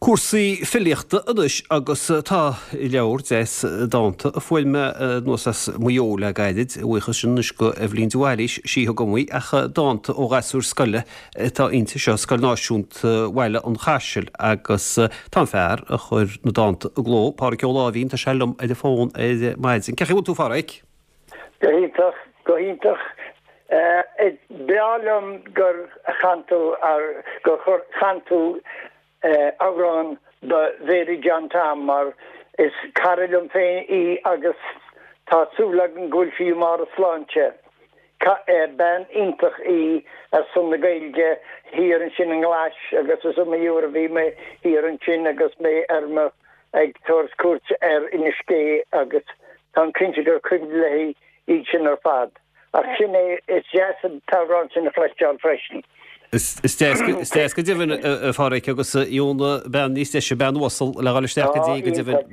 Cúrsaí filíochta anois agus tá leabhar deas dánta a fuair mé anuas as Maigh Eo le gairid, a bhuíochas sin anois go Eibhlín de Bhailís, sí a thug dom í, ach dánta ó ghasúir scoile atá inti seo, Scoil Náisiúnta Bhaile an Chaisil agus tá an fear a chuir na dánta i gcló, Pádhraic Ó Láimhín, tá sé liom ar an bhfón ar maidin. Cén chaoi a bhfuil tú, a Phádhraic? Go hiontach, go hiontach. Is breá liom gur chan tú, gur chan tú amhrán do Mhary John Tom mar is cara liom féin í agus tá súil agam go bhfuil sí i mbarr a sláinte. Bean iontach í ar son na Gaeilge thiar ansin i nGlais agus is iomaí uair a bhí mé thiar ansin agus mé ar mo ag tabhairt cuairt ar Inis Gé agus táim cinnte gur cuimhin léi iad sin ar fad. Ach sin é, is deas an t-amhrán sin a chloisteáil freisin. Is deas go deimhin, a Phádhraic, agus gheobhaidh bean níos deise, bean uasal le dhul isteach go dtí go deimhin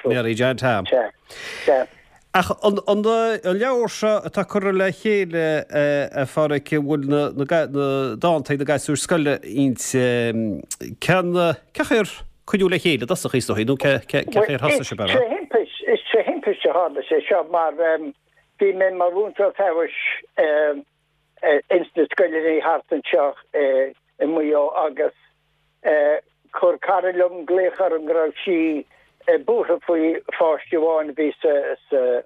Mary John Tom. Sea, sea. Ach an leabhar seo atá curtha le chéile, a Phádhraic, a bhfuil na dánta ag na gasúir scoile inti, cén chaoi ar cuireadh le chéile i dtosach í, is dóigh, nó cé chaoi ar thosaigh sibh air? Is tré thimpiste a tharla sé seo mar bhí mé mar mhúinteoir feabhais ins na scoileanna thart anseo i Maigh Eo agus Chuir cara liom glaoch orm go raibh sí buartha faoi pháiste amháin a bhí sa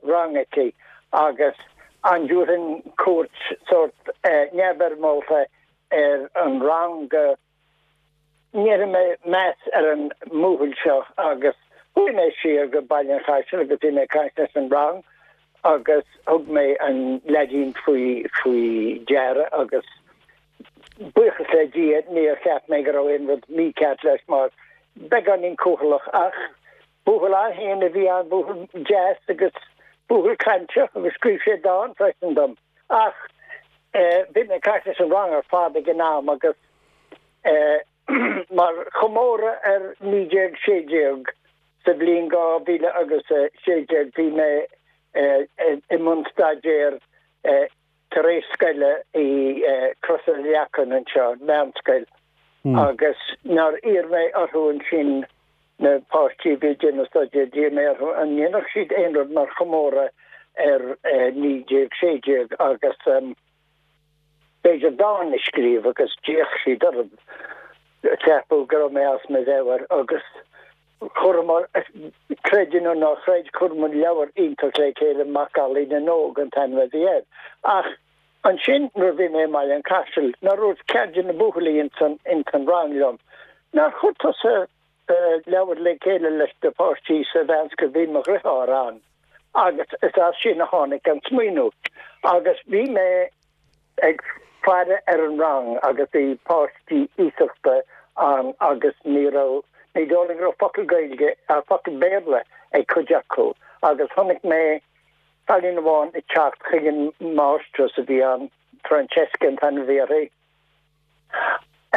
rang aici agus an dtabharfainn cuairt sórt neamhfhoirmeálta ar an rang go ndéanfaidh mé meas ar an mbuachaill seo agus chuaigh mé siar go Baile an Chaisil agus bhí mé ag caint leis an rang agus thug mé an leaidín faoi faoi deara agus Buíochas le Dia níor cheap mé go raibh aon rud mícheart leis mar beagáinín cúthaileach ach buachaill an-fhiáin a bhí ann, buachaill deas agus buachaill cainteach agus scríobh sé dán freisin dom. Ach bhí mé ag caint leis an rang ar fad ag an am agus mar chomóradh ar 1916 sa bhliain 2016 bhí mé i mbun staidéir tar éis scoile i Crois na Leacan anseo, meánscoil, agus nár iarr mé orthu ansin, na páistí a bhí ag déanamh staidéir, d'iarr mé orthu an ndéanfadh siad aon rud mar chomóradh ar 1916 agus b'fhéidir dán a scríobh agus d'fhéach siad orm, ceapadh go raibh mé as mo mheabhair agus. Chuireamar, creid é nó ná chreid, chuireamar leabhar iontach le chéile, Macallaí na nÓg an t-ainm a bhí air. Ach ansin nuair a bhí mé i mBaile an Chaisil, nár dhúirt ceann de na buachaillí ins an, ins an rang liom, nár chuir tusa leabhar le chéile leis na páistí sa mheánscoil, bhí mo dhriotháir ann agus is as sin a tháinig an smaoineamh. Agus bhí mé. ag faire ar an rang agus bhí páistí iasachta ann agus ní raibh, ní dóigh liom go raibh focal Gaeilge, focal Béarla ag cuid acu agus chonaic mé cailín amháin ag teacht chuig an máistreás a bhí ann, Francesca an t-ainm a bhí uirthi,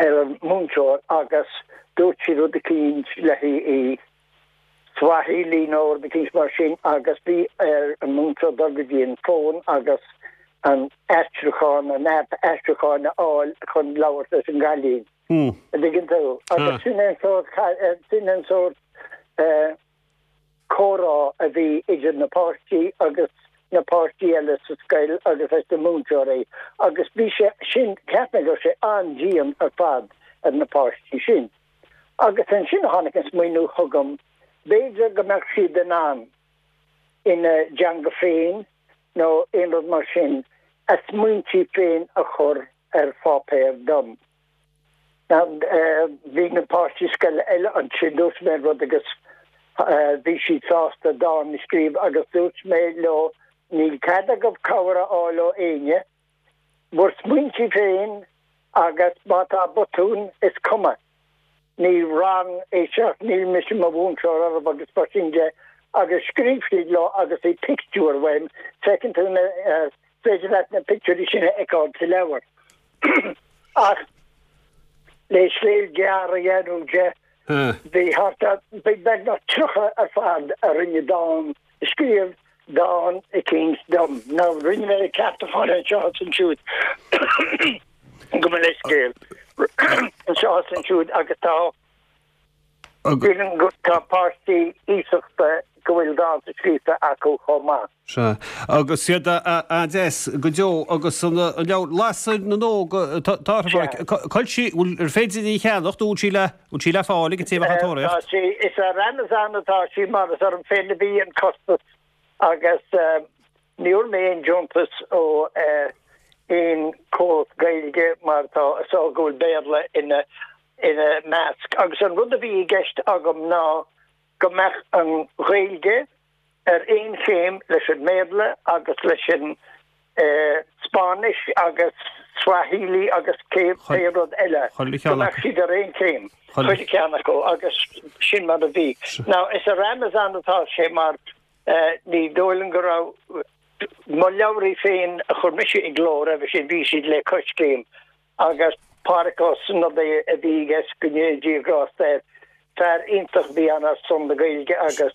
ar an múinteoir agus dúirt sí rud eicínt léi i Swahili nó rud eicínt mar sin agus bhí ar an múinteoir dul go dtí an fón agus an aistriúchán, an aip aistriúcháin a fháil chun labhairt leis an gcailín. An dtuigeann tú? Agus sin é an sórt, sin an sórt comhrá a bhí idir na páistí agus na páistí eile sa scoil agus leis na múinteoirí agus bhí sé sin, cheap mé go raibh sé an-dian ar fad ar na páistí sin. Agus ansin a tháinig an smaoineamh chugam, b'fhéidir go mbeadh siad in ann, ina dteanga féin nó aon rud mar sin, a smaointí féin a chur ar pháipéar dom. Now, bhí na páistí scoile eile ansin, dúirt mé an rud agus bhí siad sásta dán a scríobh agus dúirt mé leo, níl cead agaibh cabhair a fháil ó éinne, bhur smaointí féin agus má tá botún, is cuma. Ní rang é seo, níl mise i mo mhúinteoir oraibh agus mar sin de. Agus scríobh siad leo agus bhí pictiúir uaim, feiceann tú na, is féidir leat na pictiúirí sin a fheiceáil sa leabhar. Ach le scéal gearr a dhéanamh de, bhí thart ar, bhí beagnach 30 ar fad a rinne dán, a scríobh dán eicínt dom. Now rinne mé ceartúcháin anseo is ansiúd, gabh mo leithscéal, anseo is ansiúd agus tá. Sílim go tá páistí iasachta go bhfuil dánta scríofa acu chomh maith. Sea. Agus iad an-deas go deo agus an leabhar Lasair na nÓg atá uirthi, a Phádraic. Cá bhfuil sí, bhfuil, ar féidir í a cheannacht nó bhfuil sí le, bhfuil sí le fáil ag an té a bheadh á Tá tóraíocht? sí, is ar Amazon atá sí mar is orm féin a bhí an costas agus ní fhuair mé aon deontas ó aon chomhlacht Gaeilge mar tá a fhios go bhfuil Béarla ina ina measc. Agus an rud a bhí i gceist agam ná go mbeadh an Ghaeilge ar aon chéim leis an mBéarla agus leis an Spáinnis agus Swahili agus cé pé rud eile, go mbeadh siad ar aon chéim, chuile cheann acu agus sin mar a bhí. Now is ar Amazon atá sé mar ní dóigh liom go raibh mo leabhraí féin a chuir mise i gcló roimhe sin, bhí siad le Coiscéim Agus Pádraic Ó Snodaigh a bhí i gceist, go ndéana Dia grásta air. Fear iontach a bhí ann ar son na Gaeilge agus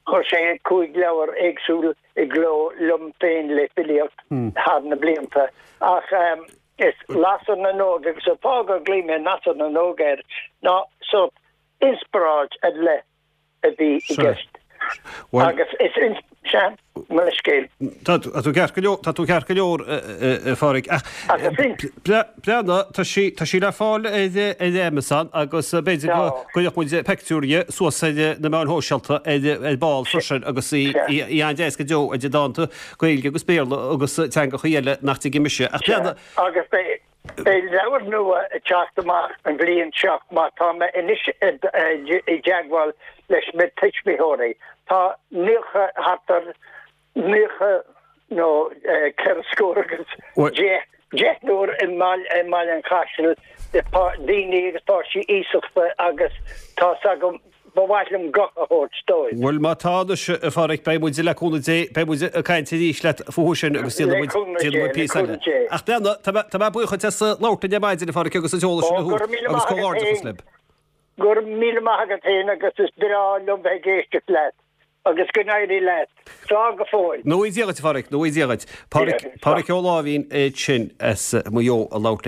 chuir sé 5 leabhar éagsúil i gcló liom féin le filíocht thar na blianta. Ach is Lasair na nÓg agus an fáth gur ghlaoigh mé Lasair na nÓg air ná sórt inspioráid ar leith a bhí i gceist. Agus is sea, mo leithscéal. Tá tú ceart go leor, tá tú ceart go leor, a Phádraic. Ach breathnaigh, tá sí, tá sí le fáil ar Amazon agus b'fhéidir go gcuirfeadh muid peictiúr di suas ar na meáin shóisialta ar ball freisin agus í an-deas go deo idir dánta Gaeilge agus Béarla agus teangachaí eile nach dtuigim mise. Ach breathnaigh. Agus beidh. Beidh leabhar nua ag teacht amach an bhliain seo mar tá mé anois i dteagmháil leis na tuismitheoirí. Tá 90, thart ar 90 nó ceithre scór agus deich, deichniúr i mBaile an Chaisil, daoine agus páistí iasachta agus tá's agam Ba mhaith liom guth a thabhairt dóibh. Bhuel, má tá anois, a Phádraic, beidh muid, le cúnamh Dé, beidh muid ag caint arís leat fúthu sin agus déanfaidh muid, déanfaidh muid píosa eile. Ach breathnaigh, tá mé, tá mé buíoch duit as labhairt linn ar maidin, a Phádraic, agus an t-eolas sin a thabhairt agus comhghairdeachas libh. Go raibh míle maith agat féin agus is breá liom bheith ag éisteacht leat agus go n-éirí leat. Slán go fóill. Go ngnóthaí Dia dhuit, a Phádraic, go ngnóthaí Dia dhuit. Pádraic, Pádraic Ó Láimhín é sin as Maigh Eo ag labhairt linn.